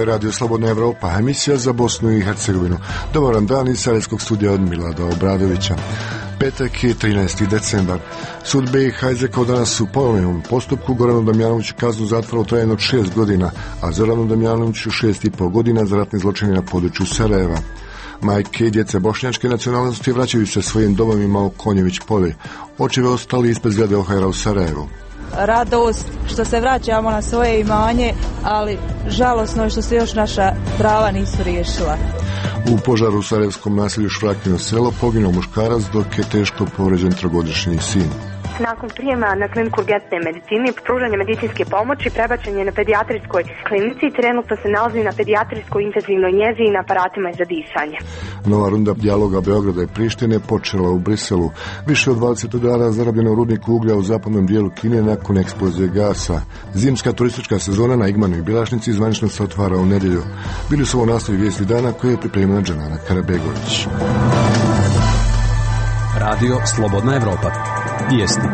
Radio Slobodna Evropa, emisija za Bosnu i Hercegovinu. Dobar vam dan iz Sarajevskog studija od Milada Obradovića. Petak je 13. decembar. Sud BiH izrekao danas u ponovljenom postupku Goranu Damjanoviću kaznu zatvora u trajanju od 6 godina, a Zoranu Damjanoviću 6,5 godina za ratne zločine na području Sarajeva. Majke i djece bošnjačke nacionalnosti vraćaju se svojim domovima u Konjević polje. Očevi ostali ispred zgrade OHR-a u Sarajevu. Radost što se vraćamo na svoje imanje, ali žalosno je što se još naša prava nisu riješila. U požaru u sarajevskom naselju Švrakino selo poginuo muškarac dok je teško povređen trogodišnji sin. Nakon prijema na kliniku urgentne medicine i pružanja medicinske pomoći prebačen je na pedijatrijskoj klinici i trenutno se nalazi na pedijatrijskoj intenzivnoj njezi i na aparatima za disanje. Nova runda dijaloga Beograda i Prištine počela u Briselu. Više od 20 udara zarobljeno u rudniku uglja u zapadnom dijelu Kine nakon eksplozije gasa. Zimska turistička sezona na Igmanu i Bilašnici zvanično se otvara u nedjelju. Bili su ovo nastavi vijesti dana koje je pripremila Džanana Karabegović. Radio Slobodna Evropa. Vijesti.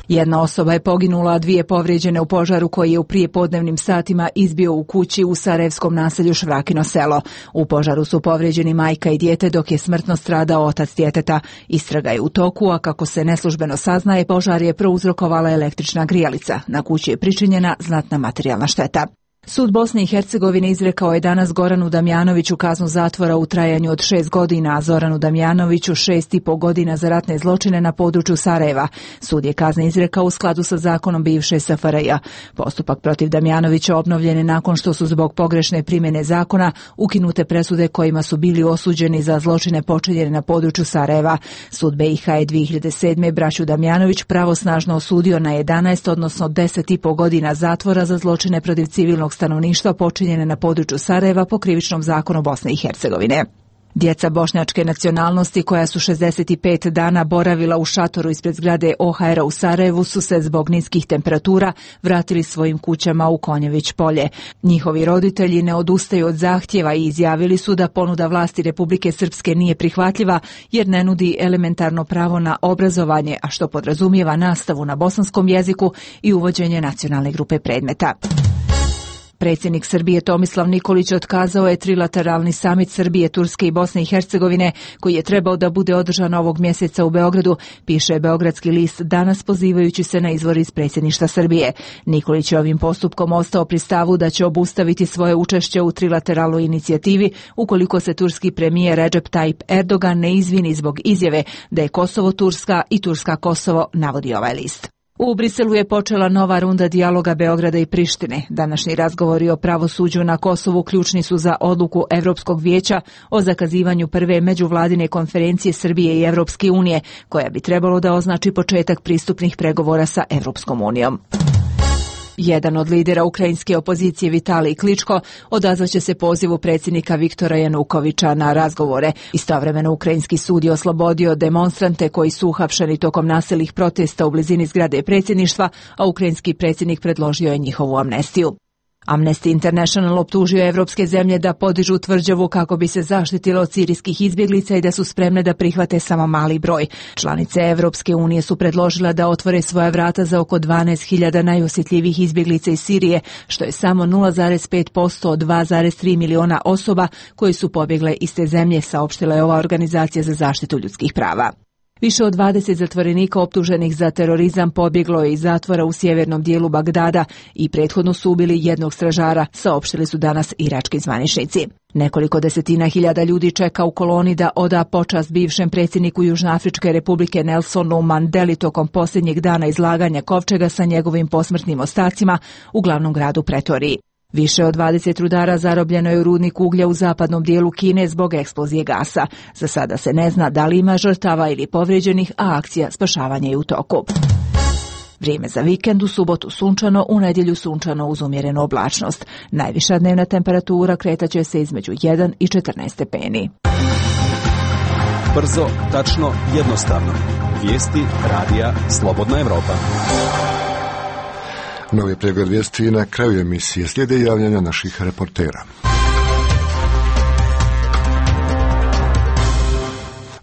Jedna osoba je poginula, a dvije povrijeđene u požaru koji je u prijepodnevnim satima izbio u kući u sarajevskom naselju Švrakino selo. U požaru su povrijeđeni majka i dijete, dok je smrtno stradao otac djeteta. Istraga je u toku, a kako se neslužbeno saznaje, požar je prouzrokovala električna grijalica. Na kući je pričinjena znatna materijalna šteta. Sud Bosne i Hercegovine izrekao je danas Goranu Damjanoviću kaznu zatvora u trajanju od 6 godina, a Zoranu Damjanoviću 6,5 godina za ratne zločine na području Sarajeva. Sud je kazne izrekao u skladu sa zakonom bivše SFRJ. Postupak protiv Damjanovića obnovljen je nakon što su zbog pogrešne primjene zakona ukinute presude kojima su bili osuđeni za zločine počinjene na području Sarajeva. Sud BiH je 2007. braću Damjanović pravosnažno osudio na 11, odnosno 10,5 godina zatvora za zločine protiv civilnog stanovništva počinjene na području Sarajeva po krivičnom zakonu Bosne i Hercegovine. Djeca bošnjačke nacionalnosti koja su 65 dana boravila u šatoru ispred zgrade OHR-a u Sarajevu su se zbog niskih temperatura vratili svojim kućama u Konjević polje. Njihovi roditelji ne odustaju od zahtjeva i izjavili su da ponuda vlasti Republike Srpske nije prihvatljiva jer ne nudi elementarno pravo na obrazovanje, a što podrazumijeva nastavu na bosanskom jeziku i uvođenje nacionalne grupe predmeta. Predsjednik Srbije Tomislav Nikolić otkazao je trilateralni samit Srbije, Turske i Bosne i Hercegovine koji je trebao da bude održan ovog mjeseca u Beogradu, piše Beogradski list danas pozivajući se na izvor iz predsjedništva Srbije. Nikolić je ovim postupkom ostao pri stavu da će obustaviti svoje učešće u trilateralnoj inicijativi ukoliko se turski premijer Recep Tayyip Erdogan ne izvini zbog izjave da je Kosovo Turska i Turska Kosovo, navodi ovaj list. U Briselu je počela nova runda dijaloga Beograda i Prištine. Današnji razgovori o pravosuđu na Kosovu ključni su za odluku Europskog vijeća o zakazivanju prve međuvladine konferencije Srbije i Europske unije, koja bi trebalo da označi početak pristupnih pregovora sa Europskom unijom. Jedan od lidera ukrajinske opozicije Vitalij Kličko odazvaće se pozivu predsjednika Viktora Janukovića na razgovore. Istovremeno ukrajinski sud je oslobodio demonstrante koji su uhapšeni tokom nasilnih protesta u blizini zgrade predsjedništva, a ukrajinski predsjednik predložio je njihovu amnestiju. Amnesty International optužio evropske zemlje da podižu tvrđavu kako bi se zaštitilo od sirijskih izbjeglica i da su spremne da prihvate samo mali broj. Članice Evropske unije su predložile da otvore svoja vrata za oko 12.000 najosjetljivijih izbjeglica iz Sirije, što je samo 0,5% od 2,3 miliona osoba koje su pobjegle iz te zemlje, saopštila je ova organizacija za zaštitu ljudskih prava. Više od 20 zatvorenika optuženih za terorizam pobjeglo je iz zatvora u sjevernom dijelu Bagdada i prethodno su ubili jednog stražara, saopštili su danas irački zvaničnici. Nekoliko desetina hiljada ljudi čeka u koloni da oda počast bivšem predsjedniku Južnoafričke republike Nelsonu Mandeli tokom posljednjeg dana izlaganja kovčega sa njegovim posmrtnim ostacima u glavnom gradu Pretoriji. Više od 20 rudara zarobljeno je u rudniku uglja u zapadnom dijelu Kine zbog eksplozije gasa. Za sada se ne zna da li ima žrtava ili povrijeđenih, a akcija spašavanja je u toku. Vrijeme za vikend, u subotu sunčano, u nedjelju sunčano uz umjerenu oblačnost. Najviša dnevna temperatura kretaće se između 1 i 14 stepeni. Brzo, tačno, jednostavno. Vijesti radija Slobodna Evropa. Novi pregled vijesti na kraju emisije. Slijede javljanja naših reportera.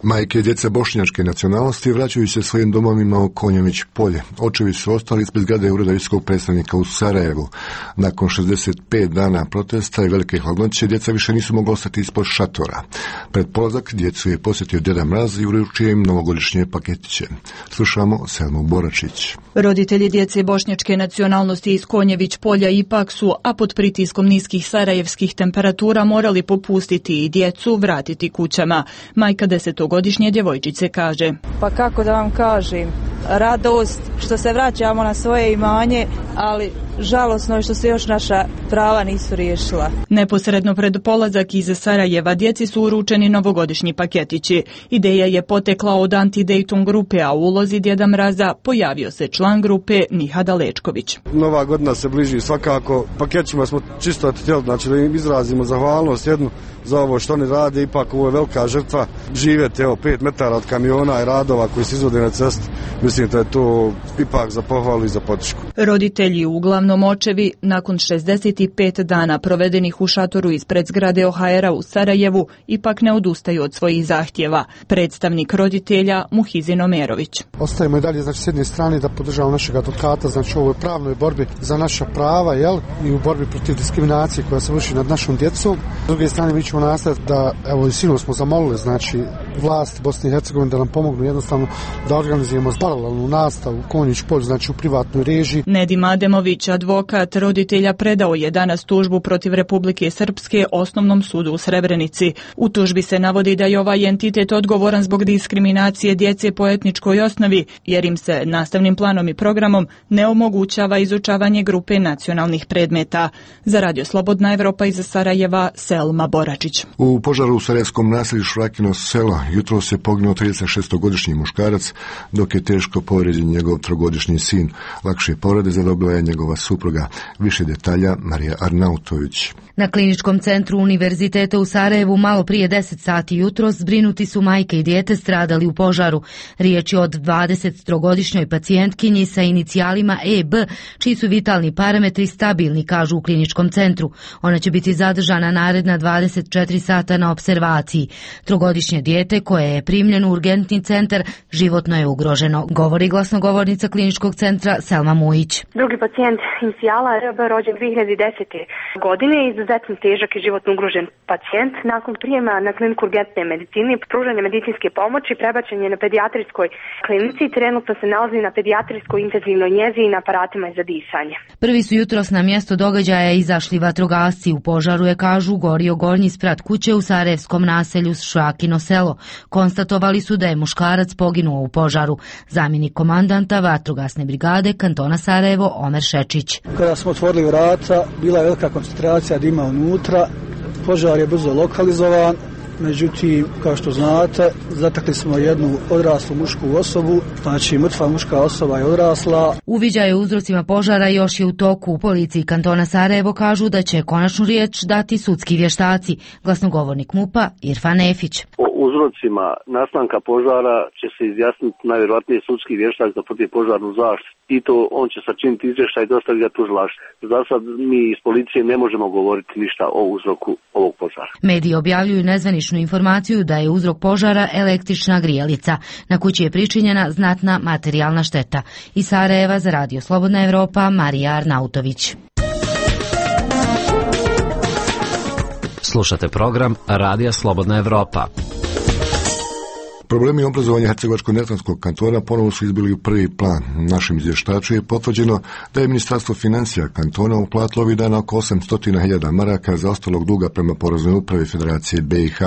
Majke i djeca bošnjačke nacionalnosti vraćaju se svojim domovima u Konjović polje. Očevi su ostali ispred zgrade ureda visokog predstavnika u Sarajevu. Nakon 65 dana protesta i velike hladnoće, djeca više nisu mogla ostati ispod šatora. Pred polazak djecu je posjetio Deda Mraz i uručio im novogodišnje paketiće. Slušamo Selmu Boračić. Roditelji djece bošnjačke nacionalnosti iz Konjević polja ipak su, a pod pritiskom niskih sarajevskih temperatura, morali popustiti i djecu vratiti kućama. Majka 10-godišnje djevojčice kaže: Pa kako da vam kažem, radost što se vraćamo na svoje imanje, ali žalosno je što se još naša prava nisu riješila. Neposredno pred polazak iz Sarajeva djeci su uručeni novogodišnji paketići. Ideja je potekla od Anti-Dayton grupe, a u ulozi Djeda Mraza pojavio se član grupe Nihada Lečković. Nova godina se bliži svakako. Paketima smo čisto htjeli, znači da im izrazimo zahvalnost jednu za ovo što oni rade. Ipak ovo je velika žrtva. Živjeti 5 metara od kamiona i radova koji se izvode na cesti. Mislim da je to ipak za pohvalu i za podršku. Roditelji, uglavnom očevi, nakon 65 dana provedenih u šatoru ispred zgrade OHR-a u Sarajevu, ipak ne odustaju od svojih zahtjeva. Predstavnik roditelja Muhizin Omerović. Ostajemo i dalje, znači, s jedne strane da podržavamo našeg advokata, znači u ovoj pravnoj borbi za naša prava, i u borbi protiv diskriminacije koja se vrši nad našom djecom. S druge strane, mi ćemo nastaviti da, evo i sinoć smo zamolili, znači, vlast Bosne i Hercegovine da nam pomognu jednostavno da organizujemo paralelnu nastavu u Konjić polju, znači u privatnoj režiji. Nedim Ademović, advokat roditelja, predao je danas tužbu protiv Republike Srpske Osnovnom sudu u Srebrenici. U tužbi se navodi da je ovaj entitet odgovoran zbog diskriminacije djece po etničkoj osnovi, jer im se nastavnim planom i programom ne omogućava izučavanje grupe nacionalnih predmeta. Za Radio Slobodna Evropa iz Sarajeva, Selma Boračić. U požaru u sarajevskom naselju Švrakino selo jutro se poginuo 36-godišnji muškarac, dok je teško povrijeđen njegov 3-godišnji sin. Lakše povrede zadobila je njegova supruga. Više detalja Marija Arnautović. Na kliničkom centru Univerziteta u Sarajevu malo prije 10 sati jutros zbrinuti su majke i dijete stradali u požaru. Riječ je od 23-godišnjoj pacijentkinji sa inicijalima EB, čiji su vitalni parametri stabilni, kažu u kliničkom centru. Ona će biti zadržana naredna 24 sata na observaciji. 3-godišnje dijete koje je primljeno u urgentni centar životno je ugroženo, govori glasnogovornica kliničkog centra Selma Mujić. Drugi pacijent inicijala RB rođen 2010. godine, izuzetno težak i životno ugrožen pacijent. Nakon prijema na kliniku urgentne medicine, pružanje medicinske pomoći, prebačen je na pedijatrijskoj klinici i trenutno se nalazi na pedijatrijskoj intenzivnoj njezi i na aparatima za disanje. Prvi su jutros na mjesto događaja izašli vatrogasci. U požaru je, kažu, gorio gornji sprat kuće u sarajevskom naselju Švrakino selo. Konstatovali su da je muškarac poginuo u požaru. Zamjenik komandanta vatrogasne brigade kantona Sarajevo Omer Šečić. Kada smo otvorili vrata, bila je velika koncentracija dima unutra. Požar je brzo lokalizovan. Međutim, kao što znate, zatekli smo jednu odraslu mušku osobu, znači mrtva muška osoba je odrasla. Uviđaj o uzrocima požara još je u toku. U policiji kantona Sarajevo kažu da će konačnu riječ dati sudski vještaci. Glasnogovornik MUP-a Irfan Efić. O uzrocima nastanka požara će se izjasniti najvjerojatnije sudski vještak za protivpožarnu zaštitu. I to on će sačiniti izvještaj i dostaviti ga tužilaštvu. Za sad mi iz policije ne možemo govoriti ništa o uzroku ovog požara. Mediji objavljuju nezvaničnu informaciju da je uzrok požara električna grijalica. Na kući je pričinjena znatna materijalna šteta. Iz Sarajeva za Radio Slobodna Evropa, Marija Arnautović. Slušate program Radija Slobodna Evropa. Problemi obrazovanja Hercegovačko-neretvanskog kantona ponovo su izbili u prvi plan. Našem izvještaču je potvrđeno da je Ministarstvo financija kantona uplatilo ovih dana oko 800.000 maraka za ostalog duga prema Poreznoj upravi Federacije BiH.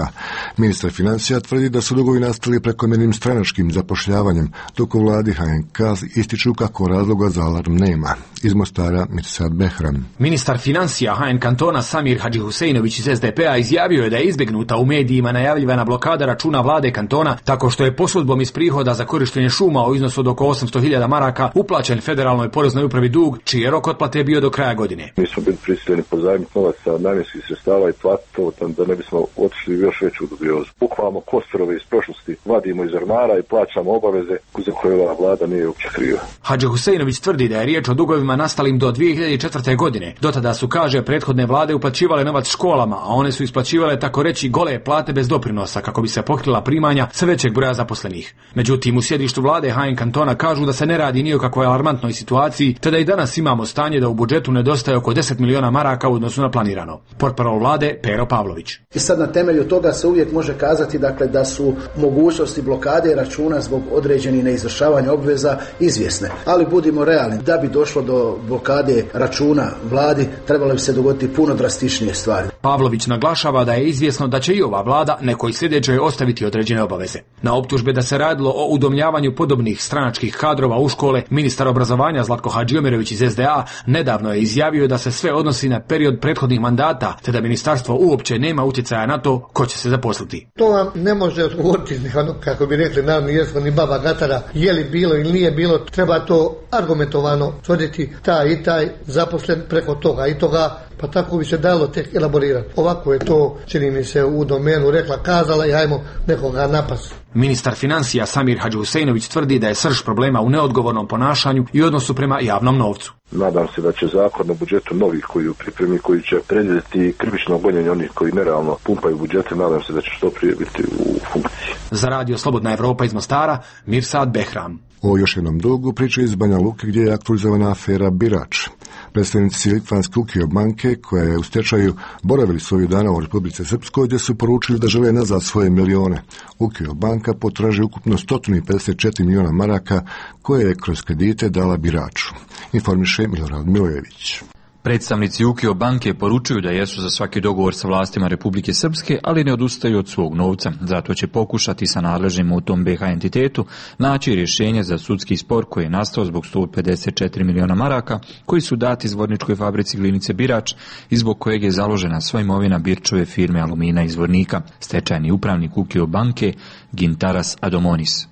Ministar financija tvrdi da su dugovi nastali prekomjernim stranačkim zapošljavanjem, dok u vladi HNK ističu kako razloga za alarm nema. Iz Mostara Mirsad Behram. Ministar financija HN kantona Samir Hadžihuseinović iz SDP-a izjavio je da je izbjegnuta u medijima najavljivana blokada računa vlade kantona tako što je posudbom iz prihoda za korištenje šuma u iznosu od oko 800.000 maraka uplaćen Federalnoj poreznoj upravi dug, čiji je rok otplate bio do kraja godine. Mi smo bili prisiljeni pozajmiti novac sa namjenskih sredstava i platiti to da ne bismo otišli još veću dubiozu. Bukvalno kosturove iz prošlosti vadimo iz ormara i plaćamo obaveze za koje ova vlada nije uopće kriva. Hadžihuseinović tvrdi da je riječ o dugovima nastalim do 2004. godine. Do tada su, kaže, prethodne vlade uplaćivale novac školama, a one su isplaćivale tako reći gole plate bez doprinosa kako bi se pokrila primanja sve većeg većeg broja zaposlenih. Međutim, u sjedištu vlade HN Kantona kažu da se ne radi ni o kakvoj alarmantnoj situaciji, te da i danas imamo stanje da u budžetu nedostaje oko 10 miliona maraka u odnosu na planirano. Portparol vlade Pero Pavlović. I sad na temelju toga se uvijek može kazati da su mogućnosti blokade računa zbog određenih neizvršavanja obveza izvjesne. Ali budimo realni, da bi došlo do blokade računa vladi, trebalo bi se dogoditi puno drastičnije stvari. Pavlović naglašava da je izvjesno da će i ova vlada nekoj sljedećoj ostaviti određene obaveze. Na optužbe da se radilo o udomljavanju podobnih stranačkih kadrova u škole, ministar obrazovanja Zlatko Hadžiomirović iz SDA nedavno je izjavio da se sve odnosi na period prethodnih mandata, te da ministarstvo uopće nema utjecaja na to ko će se zaposliti. To vam ne može odgovoriti, kako bi rekli narodni jezik, ni baba gatara, je li bilo ili nije bilo, treba to argumentovano tvrditi, taj i taj zaposlen preko toga i toga, pa tako bi se dalo tek elaborirati. Ovako je to, čini mi se, u domenu rekla, kazala i hajmo nekoga napas. Ministar financija Samir Hadžihusejnović tvrdi da je srž problema u neodgovornom ponašanju i odnosu prema javnom novcu. Nadam se da će zakon o budžetu novih koji u pripremi, koji će predvidjeti krivično gonjenje onih koji nerealno pumpaju budžete, nadam se da će što prije biti u funkciji. Za radio Slobodna Evropa iz Mostara, Mirsad Behram. O još jednom dugu priča iz Banja Luke gdje je aktualizovana afera Birač. Predstavnici litvanske Ukio banke, koja je u stečaju, boravili su ovih dana u Republici Srpskoj, gdje su poručili da žele nazad svoje milione. Ukio banka potraži ukupno 154 miliona maraka koje je kroz kredite dala Biraču. Informiše Milorad Milojević. Predstavnici Ukio banke poručuju da jesu za svaki dogovor sa vlastima Republike Srpske, ali ne odustaju od svog novca. Zato će pokušati sa nadležnim u tom BH entitetu naći rješenje za sudski spor koji je nastao zbog 154 miliona maraka koji su dati Zvorničkoj fabrici glinice Birač i zbog kojeg je založena sva imovina Birčove firme Alumina iz Zvornika. Stečajni upravnik Ukio banke Gintaras Adomonis.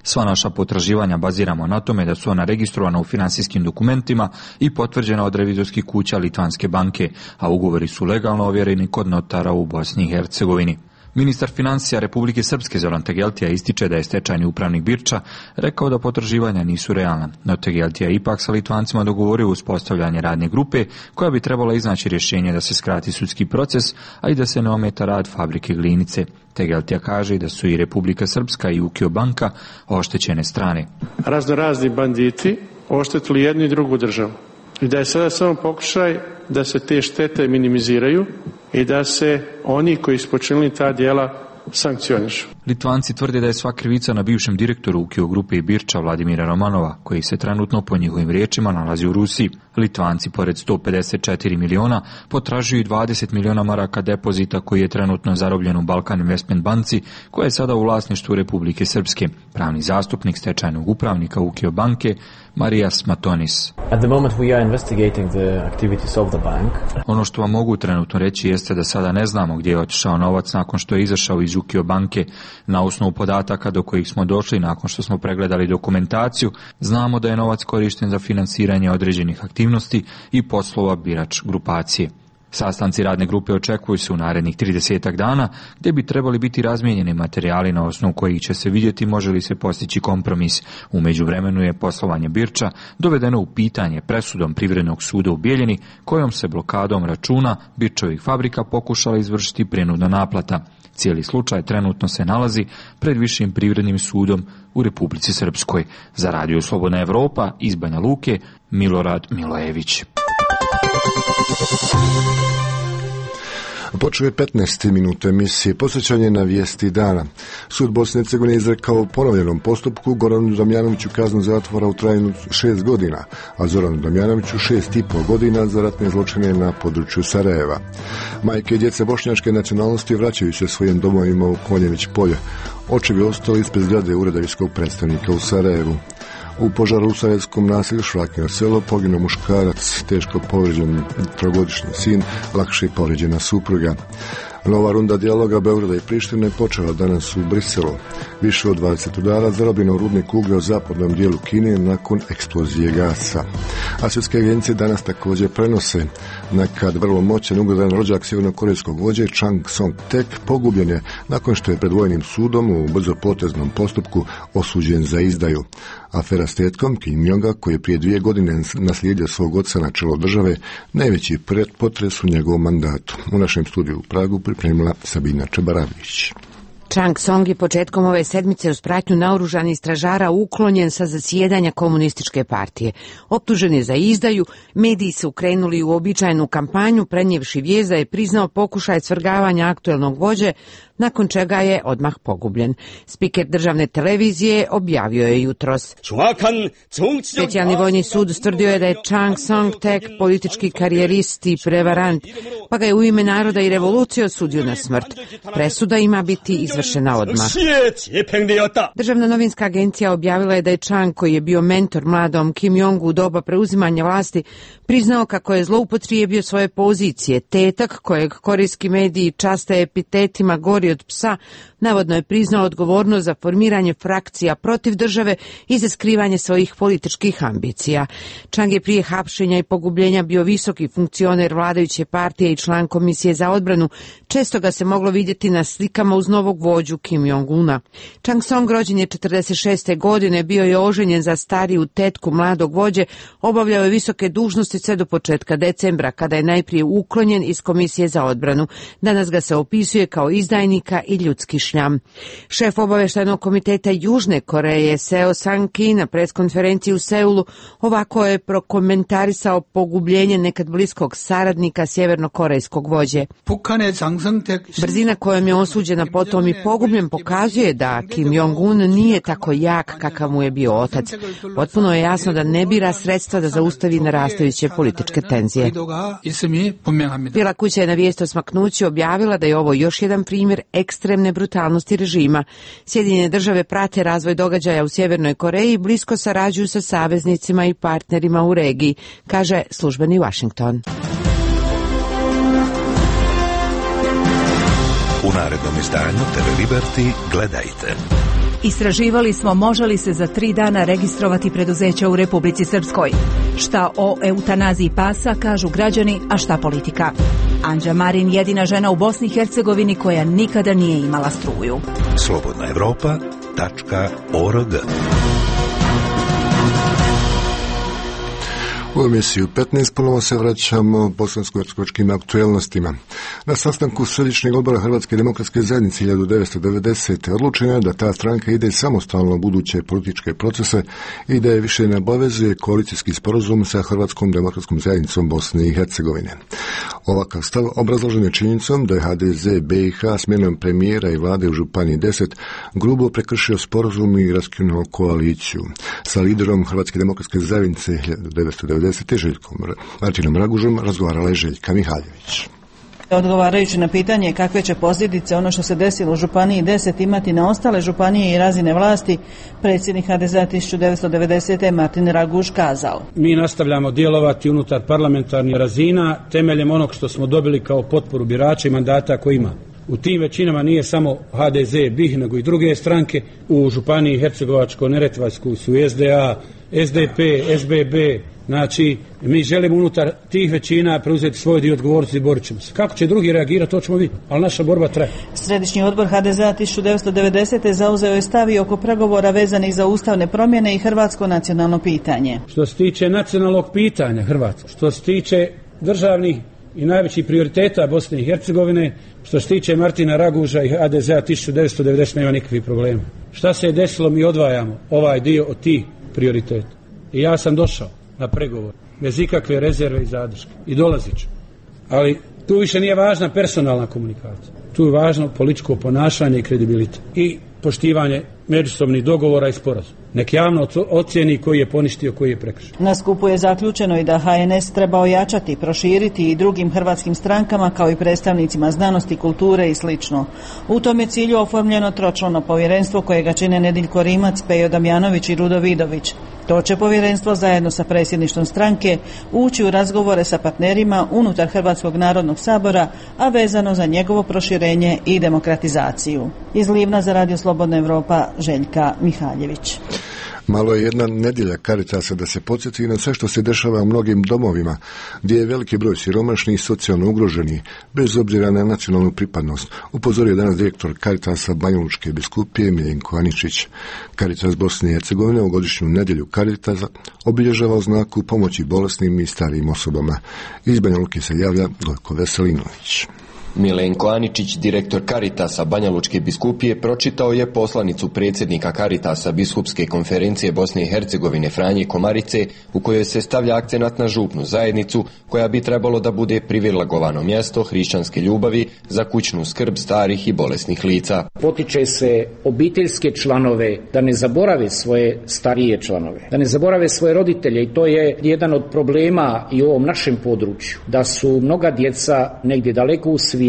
Sva naša potraživanja baziramo na tome da su ona registrovana u finansijskim dokumentima i potvrđena od revizorskih kuća Litvanske banke, a ugovori su legalno ovjereni kod notara u Bosni i Hercegovini. Ministar financija Republike Srpske Zoran Tegeltija ističe da je stečajni upravnik Birča rekao da potraživanja nisu realna, no Tegeltija ipak sa Litvancima dogovorio uspostavljanje radne grupe koja bi trebala iznaći rješenje da se skrati sudski proces, a i da se ne ometa rad fabrike glinice. Tegeltija kaže da su i Republika Srpska i Ukio banka oštećene strane. Raznorazni banditi oštetili jednu i drugu državu i da je sada samo pokušaj da se te štete minimiziraju i da se oni koji su počinili ta djela sankcionišu. Litvanci tvrde da je sva krivica na bivšem direktoru Ukio grupe i Birča Vladimira Romanova, koji se trenutno po njihovim riječima nalazi u Rusiji. Litvanci pored 154 miliona potražuju i 20 miliona maraka depozita koji je trenutno zarobljen u Balkan Investment banci, koja je sada u vlasništvu Republike Srpske. Pravni zastupnik stečajnog upravnika Ukio banke Marijas Matonis. Ono što vam mogu trenutno reći jeste da sada ne znamo gdje je otišao novac nakon što je izašao iz Ukio banke. Na osnovu podataka do kojih smo došli nakon što smo pregledali dokumentaciju, znamo da je novac korišten za finansiranje određenih aktivnosti i poslova Birač grupacije. Sastanci radne grupe očekuju se u narednih 30 dana, gdje bi trebali biti razmijenjeni materijali na osnovu kojih će se vidjeti može li se postići kompromis. U međuvremenu je poslovanje Birča dovedeno u pitanje presudom Privrednog suda u Bijeljini, kojom se blokadom računa Birčovih fabrika pokušala izvršiti prinudna naplata. Cijeli slučaj trenutno se nalazi pred Višim privrednim sudom u Republici Srpskoj. Za radio Slobodna Evropa iz Banja Luke, Milorad Milojević. Počeo je 15. minut emisije posvećanje na vijesti dana. Sud Bosne i Hercegovine izrekao u ponovljenom postupku Goranu Damjanoviću kaznu zatvora u trajanju 6 godina, a Zoranu Damjanoviću 6,5 godina za ratne zločine na području Sarajeva. Majke i djece bošnjačke nacionalnosti vraćaju se svojim domovima u Konjević polje. Očevi ostali ispred zgrade ureda visokog predstavnika u Sarajevu. U požaru u sarajevskom naselju Švrakino selo poginuo muškarac, teško povrijeđen trogodišnji sin, lakše povrijeđena supruga. Nova runda dijaloga Beograda i Prištine počela danas u Briselu. Više od 20 udara zarobljeno u rudnik uglja u zapadnom dijelu Kine nakon eksplozije gasa. A svjetske agencije danas također prenose nekad vrlo moćan ugledan rođak sjevernokorejskog vođe Chang Song-tek pogubljen je nakon što je pred vojnim sudom u brzopoteznom postupku osuđen za izdaju. Afera s tetkom Kim Jonga, koji je prije 2 godine naslijedio svog oca na čelo države, najveći potres u njegovom mandatu. U našem studiju u Pragu pripremila Sabina Čebaravljić. Chang Song je početkom ove sedmice uz pratnju naoružanih stražara uklonjen sa zasjedanja komunističke partije. Optužen je za izdaju, mediji su krenuli u uobičajenu kampanju prenijevši vijest da je priznao pokušaj svrgavanja aktuelnog vođe, nakon čega je odmah pogubljen. Spiker državne televizije objavio je jutros. Specijalni vojni sud ustvrdio je da je Chang Song-tek politički karijerist i prevarant, pa ga je u ime naroda i revolucije osudio na smrt. Presuda ima biti izvršena odmah. Državna novinska agencija objavila je da je Chang, koji je bio mentor mladom Kim Jongu u doba preuzimanja vlasti, priznao kako je zloupotrijebio svoje pozicije. Tetak, kojeg korejski mediji časte epitetima gori od psa, navodno je priznao odgovornost za formiranje frakcija protiv države i za skrivanje svojih političkih ambicija. Chang je prije hapšenja i pogubljenja bio visoki funkcioner vladajuće partije i član komisije za odbranu. Često ga se moglo vidjeti na slikama uz novog vođu Kim Jong-una. Chang Song rođen je 46. godine, bio je oženjen za stariju tetku mladog vođe, obavljao je visoke dužnosti sve do početka decembra, kada je najprije uklonjen iz komisije za odbranu. Danas ga se opisuje kao izdajnika i ljudski šljam. Šef obavještajnog komiteta Južne Koreje Seo Sang-ki na preskonferenciji u Seulu ovako je prokomentarisao pogubljenje nekad bliskog saradnika sjevernokorejskog vođe. Brzina kojom je osuđena potom i pogubljen pokazuje da Kim Jong-un nije tako jak kakav mu je bio otac. Potpuno je jasno da ne bira sredstva da zaustavi narastajuće političke tenzije. Bijela kuća je na vijest o smaknuću objavila da je ovo još jedan primjer ekstremne brutalnosti režima. Sjedinjene države prate razvoj događaja u Sjevernoj Koreji i blisko sarađuju sa saveznicima i partnerima u regiji, kaže službeni Washington. U narednom izdanju TV Liberty gledajte. Istraživali smo može li se za 3 dana registrovati preduzeća u Republici Srpskoj. Šta o eutanaziji pasa kažu građani, a šta politika. Anđa Marin, jedina žena u Bosni i Hercegovini koja nikada nije imala struju. Slobodnaevropa.org. U emisiju 15 ponovo se vraćamo bosansko-hercegovačkim aktuelnostima. Na sastanku Središnjeg odbora Hrvatske demokratske zajednice 1990. odlučeno je da ta stranka ide samostalno u buduće političke procese i da je više ne obavezuje koalicijski sporazum sa Hrvatskom demokratskom zajednicom Bosne i Hercegovine. Ovakav stav obrazložen je činjenicom da je HDZ BiH smjenom premijera i vlade u Županiji 10 grubo prekršio sporazum i raskinuo koaliciju. Sa liderom Hrvatske demokratske zajednice 1990. Željkom Martinom Ragužom razgovarala je Željka Mihaljević. Odgovarajući na pitanje kakve će posljedice ono što se desilo u Županiji 10 imati na ostale županije i razine vlasti, predsjednik HDZ-a 1990. Martin Raguž kazao: Mi nastavljamo djelovati unutar parlamentarnih razina temeljem onog što smo dobili kao potporu birača i mandata koji ima. U tim većinama nije samo HDZ, BiH, nego i druge stranke. U Županiji Hercegovačko-neretvanskoj su SDA, SDP, SBB. Znači, mi želimo unutar tih većina preuzeti svoj dio odgovornosti i borit ćemo se. Kako će drugi reagirati, to ćemo vidjeti, ali naša borba traje. Središnji odbor HDZ-a 1990. zauzeo je stav i oko pregovora vezanih za ustavne promjene i hrvatsko nacionalno pitanje. Što se tiče nacionalnog pitanja Hrvatske, što se tiče državnih i najvećih prioriteta Bosne i Hercegovine, što se tiče Martina Raguža i HDZ-a 1990. nema nikakvih problema. Šta se je desilo, mi odvajamo ovaj dio od tih prioriteta. I ja sam došao na pregovor bez ikakve rezerve i zadrške i dolazit ću. Ali tu više nije važna personalna komunikacija. Tu je važno političko ponašanje i kredibilitet i poštivanje međusobnih dogovora i sporazuma. Nek javno ocijeni koji je poništio, koji je prekršio. Na skupu je zaključeno i da HNS treba ojačati, proširiti i drugim hrvatskim strankama kao i predstavnicima znanosti, kulture i slično. U tom je cilju oformljeno tročlano povjerenstvo kojega čine Nediljko Rimac, Pejo Damjanović i Rudo Vidović. To će povjerenstvo zajedno sa predsjedništvom stranke ući u razgovore sa partnerima unutar Hrvatskog narodnog sabora, a vezano za njegovo proširenje i demokratizaciju. Iz Livna za Radio Slobodna Evropa, Željka Mihaljević. Malo je jedna nedjelja Caritasa da se podsjeti na sve što se dešava u mnogim domovima, gdje je veliki broj siromašnih i socijalno ugroženih, bez obzira na nacionalnu pripadnost, upozorio danas direktor Caritasa Banjalučke biskupije Miljenko Aničić. Caritas Bosne i Hercegovine u godišnju nedjelju Caritasa obilježava u znaku pomoći bolesnim i starijim osobama. Iz Banjaluke se javlja Gojko Veselinović. Milenko Aničić, direktor Caritasa Banjalučke biskupije, pročitao je poslanicu predsjednika Caritasa Biskupske konferencije Bosne i Hercegovine Franje Komarice, u kojoj se stavlja akcenat na župnu zajednicu, koja bi trebalo da bude privilegovano mjesto hrišćanske ljubavi za kućnu skrb starih i bolesnih lica. Potiče se obiteljske članove da ne zaborave svoje starije članove, da ne zaborave svoje roditelje, i to je jedan od problema i u ovom našem području, da su mnoga djeca negdje daleko u svijetu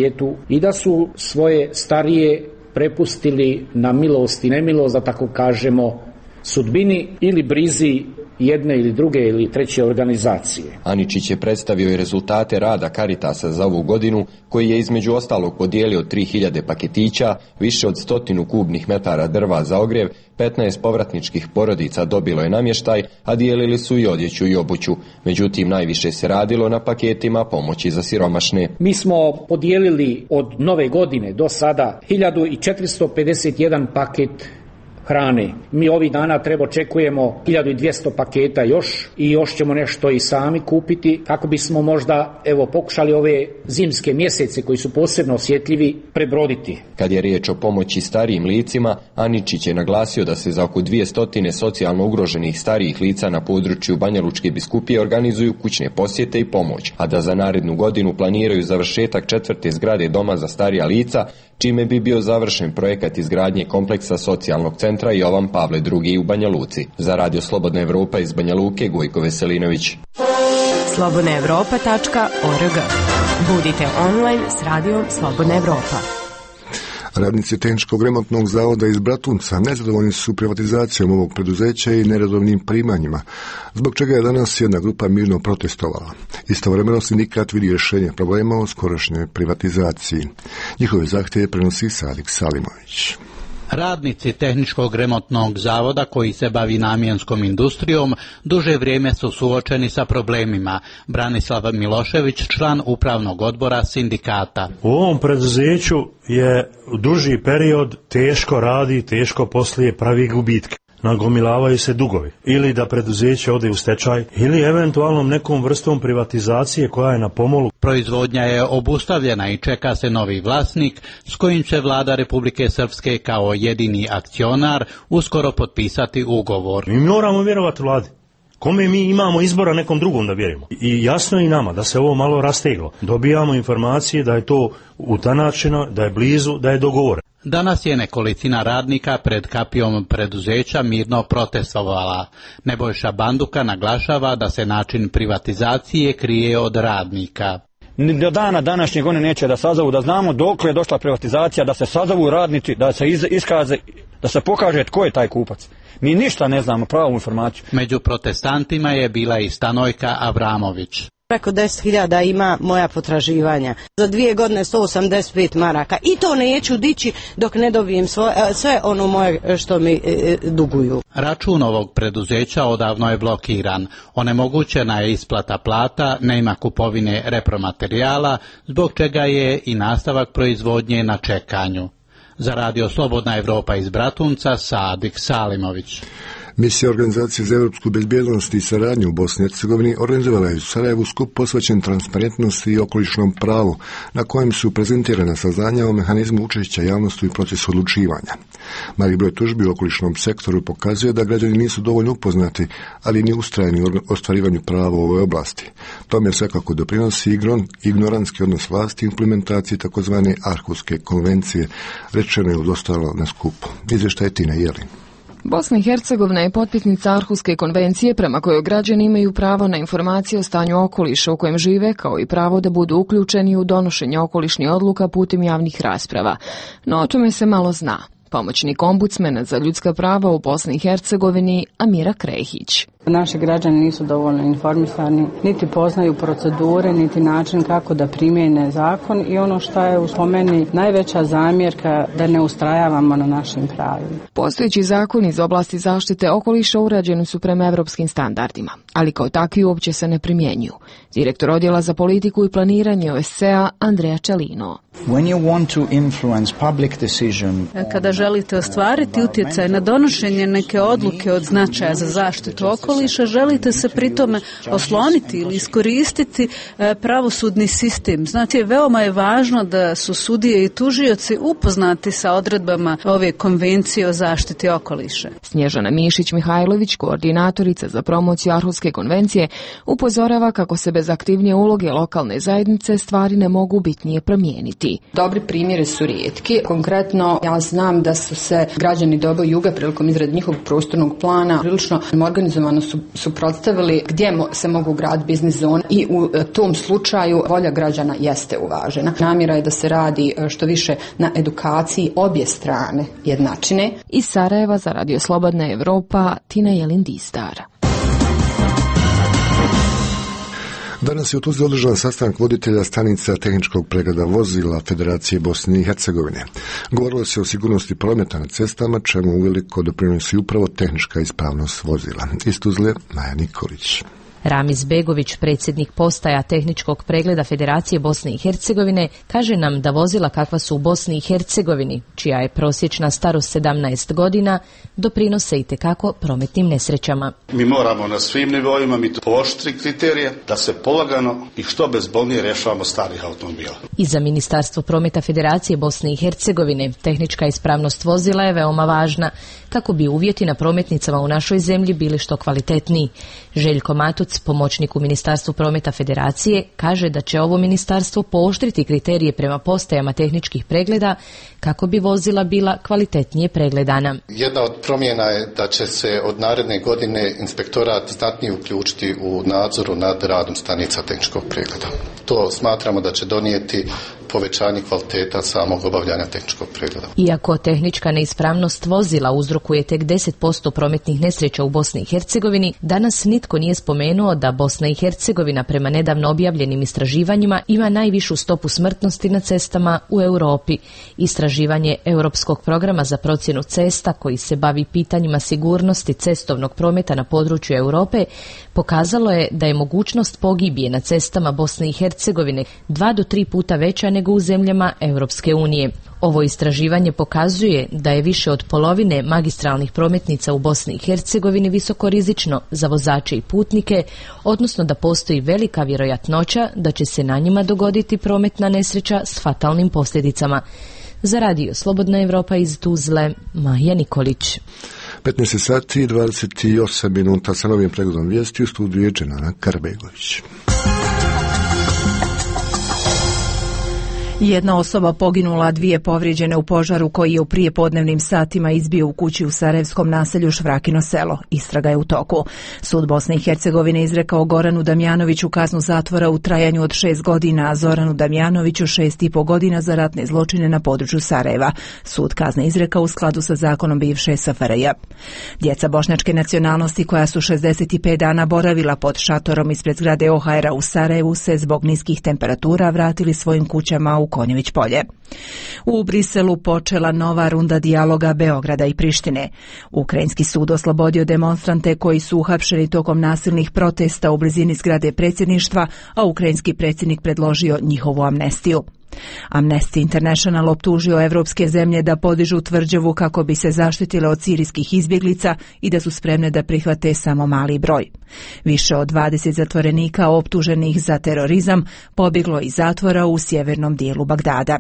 i da su svoje starije prepustili na milost i nemilost, da tako kažemo, sudbini ili brizi jedne ili druge ili treće organizacije. Aničić je predstavio i rezultate rada Caritasa za ovu godinu, koji je između ostalog podijelio 3000 paketića, više od 100 kubnih metara drva za ogrjev, 15 povratničkih porodica dobilo je namještaj, a dijelili su i odjeću i obuću. Međutim, najviše se radilo na paketima pomoći za siromašne. Mi smo podijelili od nove godine do sada 1451 paket hrane. Mi ovih dana očekujemo 1200 paketa još i još ćemo nešto i sami kupiti kako bismo možda pokušali ove zimske mjesece koji su posebno osjetljivi prebroditi. Kad je riječ o pomoći starijim licima, Aničić je naglasio da se za oko 200 socijalno ugroženih starijih lica na području Banjalučke biskupije organizuju kućne posjete i pomoć, a da za narednu godinu planiraju završetak 4. zgrade doma za starija lica, čime bi bio završen projekat izgradnje kompleksa socijalnog centra Jovan Pavle II u Banja Luci. Za Radio Slobodna Evropa iz Banja Luke, Gojko Veselinović. slobodnaevropa.org. Budite online s radijom Slobodna Evropa. Radnici Tehničkog remontnog zavoda iz Bratunca nezadovoljni su privatizacijom ovog preduzeća i neredovnim primanjima, zbog čega je danas jedna grupa mirno protestovala. Istovremeno sindikat vidi rješenje problema o skorašnjoj privatizaciji. Njihove zahtjeve prenosi Sadik Salimović. Radnici Tehničkog remontnog zavoda koji se bavi namjenskom industrijom duže vrijeme su suočeni sa problemima. Branislav Milošević, član upravnog odbora sindikata. U ovom preduzeću je duži period teško radi, teško poslije, pravi gubitke. Nagomilavaju se dugovi. Ili da preduzeće ode u stečaj, ili eventualno nekom vrstom privatizacije koja je na pomolu. Proizvodnja je obustavljena i čeka se novi vlasnik s kojim će vlada Republike Srpske kao jedini akcionar uskoro potpisati ugovor. Mi moramo vjerovati vladi. Kome mi imamo izbora, nekom drugom da vjerujemo. I jasno je i nama da se ovo malo rasteglo. Dobijamo informacije da je to utanačeno, da je blizu, da je dogovoreno. Danas je nekolicina radnika pred kapijom preduzeća mirno protestovala. Nebojša Banduka naglašava da se način privatizacije krije od radnika. Do dana današnjeg oni neće da sazovu, da znamo dokle je došla privatizacija, da se sazovu radnici, da se iskaze, da se pokaže tko je taj kupac. Mi ništa ne znamo, pravu informaciju. Među protestantima je bila i Stanojka Avramović. Preko 10.000 ima moja potraživanja. Za 2 godine 185 maraka. I to neću dići dok ne dobijem sve ono moje što mi duguju. Račun ovog preduzeća odavno je blokiran. Onemogućena je isplata plata, nema kupovine repromaterijala, zbog čega je i nastavak proizvodnje na čekanju. Za Radio Slobodna Evropa iz Bratunca, Sadik Salimović. Misija Organizacije za europsku bezbjednost i saradnju u Bosni i Hercegovini organizovala je u Sarajevu skup posvećen transparentnosti i okolišnom pravu, na kojem su prezentirana saznanja o mehanizmu učešća javnosti u procesu odlučivanja. Mali broj tužbi u okolišnom sektoru pokazuje da građani nisu dovoljno upoznati, ali ni ustrajni u ostvarivanju prava u ovoj oblasti. Tome svakako doprinosi ignorantski odnos vlasti i implementaciji takozvane Arhuske konvencije, rečeno je ostalo na skupu. Izvještaj Tina Jelin. Bosna i Hercegovina je potpisnica Arhuske konvencije prema kojoj građani imaju pravo na informacije o stanju okoliša u kojem žive, kao i pravo da budu uključeni u donošenje okolišnih odluka putem javnih rasprava. No o tome se malo zna. Pomoćnik ombudsmena za ljudska prava u Bosni i Hercegovini Amira Krehić. Naši građani nisu dovoljno informisani, niti poznaju procedure, niti način kako da primjene zakon i ono što je po meni najveća zamjerka da ne ustrajavamo na našim pravima. Postojeći zakoni iz oblasti zaštite okoliša urađeni su prema evropskim standardima, ali kao takvi uopće se ne primjenjuju. Direktor odjela za politiku i planiranje OSCE-a Andrea Čelino. Kada želite ostvariti utjecaj na donošenje neke odluke od značaja za zaštitu okoliša, želite se pritome osloniti ili iskoristiti pravosudni sistem. Znate, veoma je važno da su sudije i tužioci upoznati sa odredbama ove konvencije o zaštiti okoliša. Snježana Mišić-Mihajlović, koordinatorica za promociju Arhuske konvencije, upozorava kako se bez aktivnije uloge lokalne zajednice stvari ne mogu bitnije promijeniti. Dobri primjeri su rijetki. Konkretno, ja znam da su se građani Doba i Juga prilikom izrade njihovog prostornog plana prilično organizovano suprotstavili gdje se mogu graditi biznis zone i u tom slučaju volja građana jeste uvažena. Namjera je da se radi što više na edukaciji obje strane jednačine. Iz Sarajeva za Radio Slobodna Evropa, Tina Jelindistar. Danas je u Tuzli održan sastanak voditelja stanica tehničkog pregleda vozila Federacije Bosne i Hercegovine. Govorilo se o sigurnosti prometa na cestama, čemu uveliko doprinosi upravo tehnička ispravnost vozila. Iz Tuzle, Maja Nikolić. Ramiz Begović, predsjednik postaja tehničkog pregleda Federacije Bosne i Hercegovine, kaže nam da vozila kakva su u Bosni i Hercegovini, čija je prosječna starost 17 godina, doprinose itekako prometnim nesrećama. Mi moramo na svim nivoima pooštriti kriterije da se polagano i što bezbolnije rješavamo starih automobila. I za Ministarstvo prometa Federacije Bosne i Hercegovine tehnička ispravnost vozila je veoma važna kako bi uvjeti na prometnicama u našoj zemlji bili što kvalitetniji. Željko Matuc, pomoćnik u Ministarstvu prometa Federacije, kaže da će ovo ministarstvo pooštriti kriterije prema postajama tehničkih pregleda kako bi vozila bila kvalitetnije pregledana. Jedna od promjena je da će se od naredne godine inspektorat znatnije uključiti u nadzoru nad radom stanica tehničkog pregleda. To smatramo da će donijeti povećanje kvaliteta samog obavljanja tehničkog pregleda. Iako tehnička neispravnost vozila uzrokuje tek 10% prometnih nesreća u Bosni i Hercegovini, danas nitko nije spomenuo da Bosna i Hercegovina prema nedavno objavljenim istraživanjima ima najvišu stopu smrtnosti na cestama u Europi. Istraživanje Europskog programa za procjenu cesta koji se bavi pitanjima sigurnosti cestovnog prometa na području Europe pokazalo je da je mogućnost pogibije na cestama Bosne i Hercegovine 2 do 3 puta veća nego u zemljama Europske unije. Ovo istraživanje pokazuje da je više od polovine magistralnih prometnica u Bosni i Hercegovini visokorizično za vozače i putnike, odnosno da postoji velika vjerojatnoća da će se na njima dogoditi prometna nesreća s fatalnim posljedicama. Za Radio Slobodna Evropa iz Tuzle, Maja Nikolić. 15 sati i 28 minuta sa novim pregledom vijesti u studiju je Dženana Karbegović. Jedna osoba poginula, 2 povrijeđene u požaru koji je u prijepodnevnim satima izbio u kući u sarajevskom naselju Švrakino selo. Istraga je u toku. Sud Bosne i Hercegovine izrekao Goranu Damjanoviću kaznu zatvora u trajanju od 6 godina, a Zoranu Damjanoviću 6,5 godina za ratne zločine na području Sarajeva. Sud kazne izrekao u skladu sa zakonom bivše SFRJ. Djeca bošnjačke nacionalnosti koja su 65 dana boravila pod šatorom ispred zgrade OHR-a u Sarajevu se zbog niskih temperatura vratili svojim kućama u Konjević polje. U Briselu počela nova runda dijaloga Beograda i Prištine. Ukrajinski sud oslobodio demonstrante koji su uhapšeni tokom nasilnih protesta u blizini zgrade predsjedništva, a ukrajinski predsjednik predložio njihovu amnestiju. Amnesty International optužio evropske zemlje da podižu tvrđavu kako bi se zaštitile od sirijskih izbjeglica i da su spremne da prihvate samo mali broj. Više od 20 zatvorenika optuženih za terorizam pobjeglo iz zatvora u sjevernom dijelu Bagdada.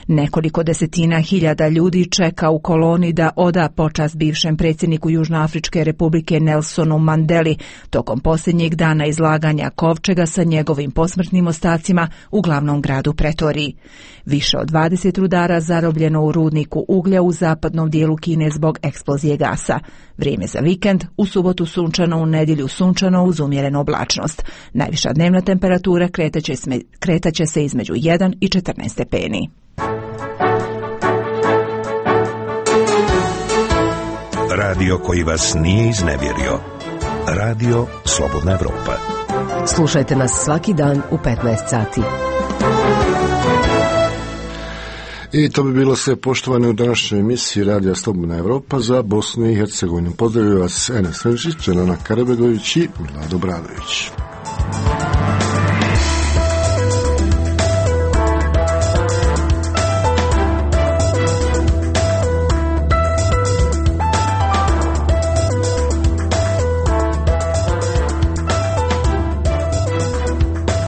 Nekoliko desetina hiljada ljudi čeka u koloni da oda počast bivšem predsjedniku Južnoafričke republike Nelsonu Mandeli tokom posljednjeg dana izlaganja kovčega sa njegovim posmrtnim ostacima u glavnom gradu Pretoriji. Više od 20 rudara zarobljeno u rudniku uglja u zapadnom dijelu Kine zbog eksplozije gasa. Vrijeme za vikend, u subotu sunčano, u nedjelju sunčano uz umjerenu oblačnost. Najviša dnevna temperatura kretaće se između 1 i 14 stepeni. Radio koji vas nije iznevjerio. Radio Slobodna Evropa. Slušajte nas svaki dan u 15 sati. I to bi bilo sve, poštovane, u današnjoj emisiji Radija Slobodna Evropa za Bosnu i Hercegovinu. Pozdravljaju vas Enes Renčić, Jelena Karabegović i Milado Bradović.